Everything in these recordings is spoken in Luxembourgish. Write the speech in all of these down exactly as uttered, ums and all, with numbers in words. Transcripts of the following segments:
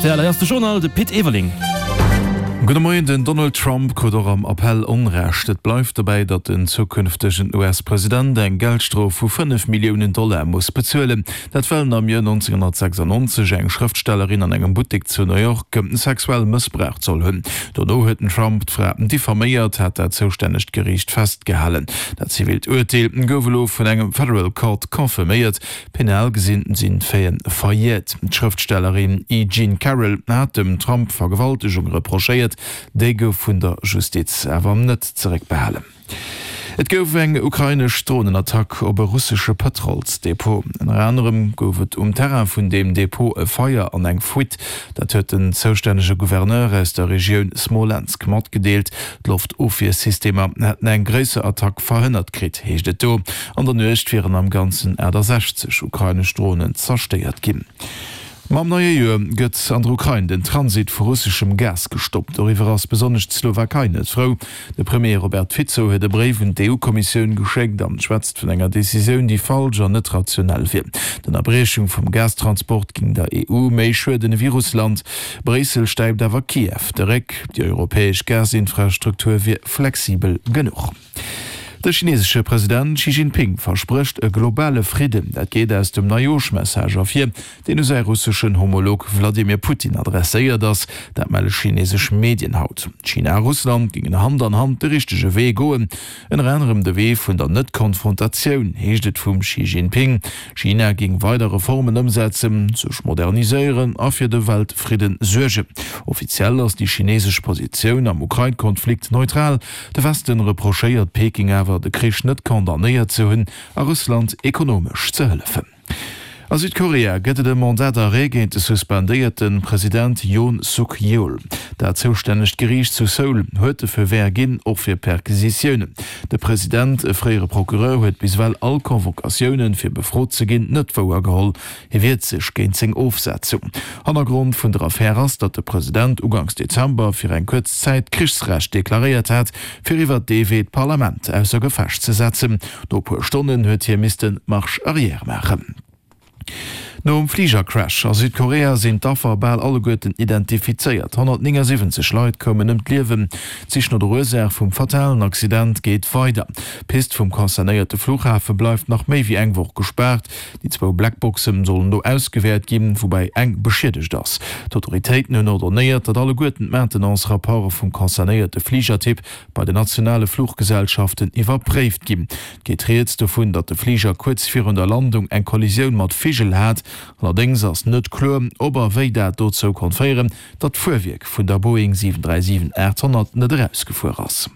R T L. Hei ass de Journal, de Pit Everling. Gudde Moien, Den Donald Trump krut och am Appell Onrecht. Et bleift dobäi, datt den zukünftegen U S-President eng Geldstrof vu fënnef Milliounen Dollar muss bezuelen. Dat well en am Joer nonzénghonnertsechsannonzeg eng Schrëftstellerin an engem Buttek zu New York sexuell mëssbraucht soll hunn. Dono huet den Trump d'Fra diffaméiert, hat dat zoustännegt Geriicht festgehalen. Dat zivilt Urteel gouf elo vun engem Federal Court confirméiert. Penal gesinn sinn d'Faiten verjäert. D'Schrëftstellerin E. Jean Carroll hat dem Trump Vergewaltegung reprochéiert, déi gouf vun der Justiz awer net zeréckbehalen. Et gouf eng ukrainesch Dronenattack op e russesche Pëtrolsdepot. Ënner anerem gouf et um Terrain vun deem Depot e Feier an eng Fuite. Dat huet den zoustännege Gouverneur aus der Regioun Smolensk matgedeelt. D'Loftofwiersystemer hätten eng gréisser Attack verhënnert kritt, heescht et do. An der Nuecht wieren am Ganzen achttasechzeg ukrainesch Dronen zerstéiert ginn. Mam neie Joer gëtt an der Ukrain den Transit vu russeschem Gas gestoppt. Doriwwer ass besonnesch d'Slowakei net frou. De Premier Robert Fico huet e Bréif un d'E U-Kommissioun geschéckt an schwätzt vun enger Decisioun, déi falsch an net rationell wier. D'Ënnerbriechung vum Gastransport géing der E U méi schueden ewéi Russland. Bréissel stäipt awer Kiew de Réck, déi europäesch Gasinfrastruktur wier flexibel genuch. De chinesesche President Xi Jinping versprécht e globale Fridden. Dat geet aus dem Neijooschmessage ervir, deen u säi russeschen Homolog Wladimir Putin adresséiert ass. Dat melle chinesesch Medien haut. China a Russland géingen Hand an Hand de richtege Wee goen, ënner anerem de Wee vun der Net-Konfrontatioun, heescht et vum Xi Jinping. China géing weider Reformen ëmsetzen, sech moderniséieren a fir de Weltfridden suergen. Offiziell ass déi chinesesch Positioun am Ukrain-Konflikt neutral. De Westen reprochéiert Peking awer, de Krich net condamnéiert ze hunn a Russland ekonomesch ze hëllefen. A Südkorea gëtt et e Mandat d'arrêt géint de suspendéierte President Yoon Suk Yeol. Dat zoustännegt Geriicht zu Seoul huet de Feu vert ginn, och fir Perquisitiounen. De President, e fréiere Procureur, huet bis ewell all Convocatiounen, fir befrot ze ginn, net wouergeholl. Hie wiert sech géint seng Ofsetzung. Hannergrond vun der Affär ass, datt de President uganks Dezember fir eng kuerz Zäit Krichsrecht deklaréiert hat, fir iwwer dee Wee d'Parlament ausser Gefecht ze setzen. No e puer Stonnen huet hie misste Marche arrière maachen. Nom Fligercrash a Südkorea sinn d'Affer bal alleguerten identifizéiert. honnertnéngasiwwenzeg Leit koumen ëm d'Liewen. D'Sich no der Ursaach vum fatalen Accident geet weider. D'Pist vum concernéierte Flughafe bleift nach méi wéi eng Woch gespaart. Déi zwou Blackboxen sollen do ausgewäert ginn, woubäi eng beschiedegt ass. D'Autoritéiten hunn ordonéiert, datt alleguerten d'Maintenance-Rapporte vum concernéierte Fligertyp bei den nationale Fluchgesellschaften iwwerpréift ginn. Et geet rieds dovun, datt de Fliger kuerz virun der Landung eng Kollisioun mat Vigel hat. Allerdéngs ass net kloer, ob a wéi dat dozou konnt féieren, datt d'Fuerwierk vun der Boeing siwen dräi siwen aacht honnert net erausgefuer ass.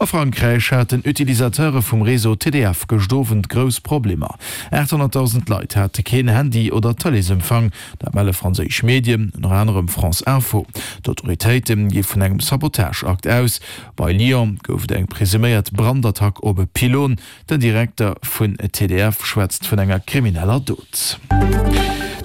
A Frankräich haten Utilisateure vum Réseau T D F gëscht Owend grouss Problemer. aathonnertdausend Leit hate keen Handy oder Tëleesempfang, dat melle franséisch Medien, ënner anerem France Info. D'Autoritéite gi vun engem Sabotageakt aus. Bei Lyon gouf et eng presuméiert Brandattack op e Pylon. Den Direkter vun T D F schwätzt vun enger krimineller Dot.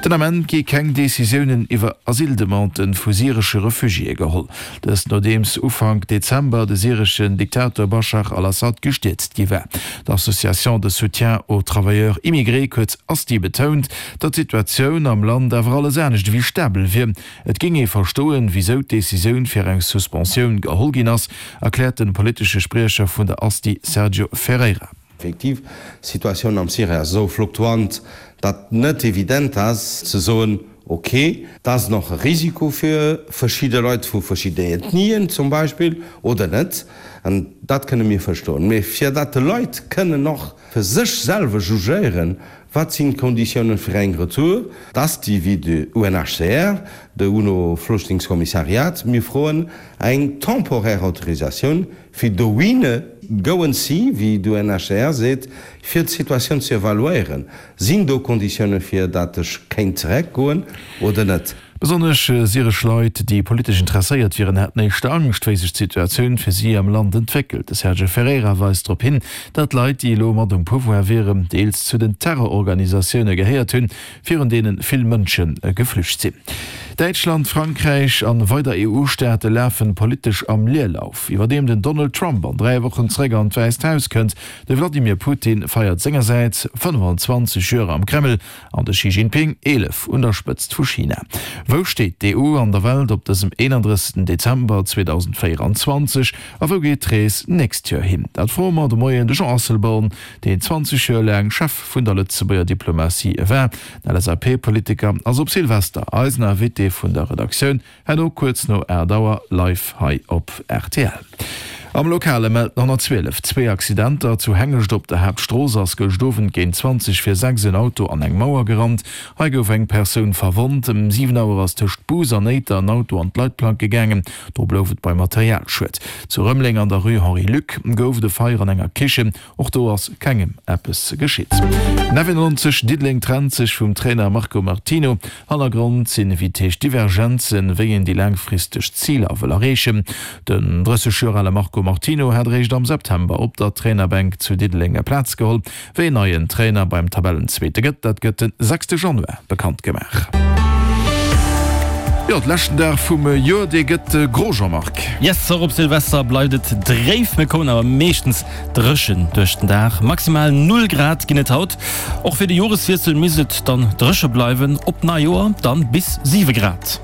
Den Ament gi keng Decisiounen iwwer Asyldemanden vu syresche Refugiéë geholl. Dëst nodeems Ufank Dezember de syreschen Diktator Bashar al-Assad gestierzt gi war. D'Association de soutien aux travailleurs immigrés, kuerz ASTI, betount, datt d'Situatioun am Land awer alles anescht ewéi stabel wier. Et géing ee verstoen, wisou d'Decisioun fir eng Suspensioun geholl ginn ass, erkläert de politesche Spriecher vun der ASTI Sergio Ferreira. Effektiv, d'Situatioun am Syrie ass esou fluktuant, datt net evident ass ze soen, okay, dat ass nach e Risiko fir verschidde Leit vu verschiddenen Ethnien zum Beispill oder net. An dat kënne mir verstoen. Mee fir datt d'Leit kënnen nach fir sech selwer jugéieren, wat sinn d'Konditiounen fir eng Retour, d'ASTI wéi de U N H C R, de UNO-Flüchtlingskommissariat, mir froen eng temporär Autorisatioun fir dohinne goen si, wéi d'U N H C R seet, fir d'Situatioun ze evaluéieren. Sinn do Konditiounen fir datt ech kéint zeréckgoen oder net? Besonnesch syresch Leit, déi politesch interesséiert wieren, hätten éischter Angscht, wéi sech d'Situatioun fir si am Land entwéckelt. De Sergio Ferreira weist drop hin, datt Leit, déi elo mat um Pouvoir wieren, deels zu den Terrororganisatioune gehéiert hunn, virun deene vill Mënsche geflücht sinn. Däitschland, Frankräich an weider E U-Staate lafen politesch am Leerlauf, iwwerdeem den Donald Trump an dräi Wochen zeréck an d'Wäisst Haus kënnt. De Vladimir Putin feiert sengersäits fënnfanzwanzeg Joer am Kreml an de Xi Jinping eelef un der Spëtzt vu China. Wou steet d'E U an der Welt op dësem eenandrëssegsten Dezember zweedausendvéieranzwanzeg a wou geet d'Rees d'nächst Joer hin? Dat froe mer de Moien de Jean Asselborn, deen zwanzeg Joer laang Chef vun der Lëtzebuerger Diplomatie war. Den L S A P-Politiker ass op Silvester eisen Invité vun der Redaktioun, herno kuerz no aacht Auer live hei op R T L. Am Lokale mellt den honnertzwielef zwee Accidenter. Zu Hengescht op der Haaptstrooss ass gëscht Owend géint zwanzeg vir sechs en Auto an eng Mauer gerannt. Hei gouf eng Persoun verwonnt. Ëm siwen Auer ass tëscht Bous an Éiter en Auto an d'Leitplank gegaangen. Do blouf et bei Materialschued. Zu Rëmeleng an der Rue Henri Luck gouf et e Feier an enger Kichen. Och do ass kengem eppes geschitt. Neunundneunzeg Diddeleng trennt sech vum Trainer Marco Martino. Hannergrond sinn, wéi et heescht, Divergenzen, wéi een déi laangfristeg Ziler wëll erreechen. Den drësseg Joer ale Marco Martino hat eréischt am September op der Trainerbänk zu Diddeleng Plaz geholl. Wéi een neien Trainer beim Tabellenzweete gëtt, dat gëtt den sechste Januar bekannt gemaach. Jo, de leschten Dag vum Joer, dee gëtt gro, Jean-Marc. Yes, och op Silvester bleift et dréif, mir kommen awer meeschtens dréchen duerch den Dag. Maximal null Grad ginn et haut. Och fir de Joreswiessel misst et dann dréche bleiwen, op Neijoer dann bis siwe Grad.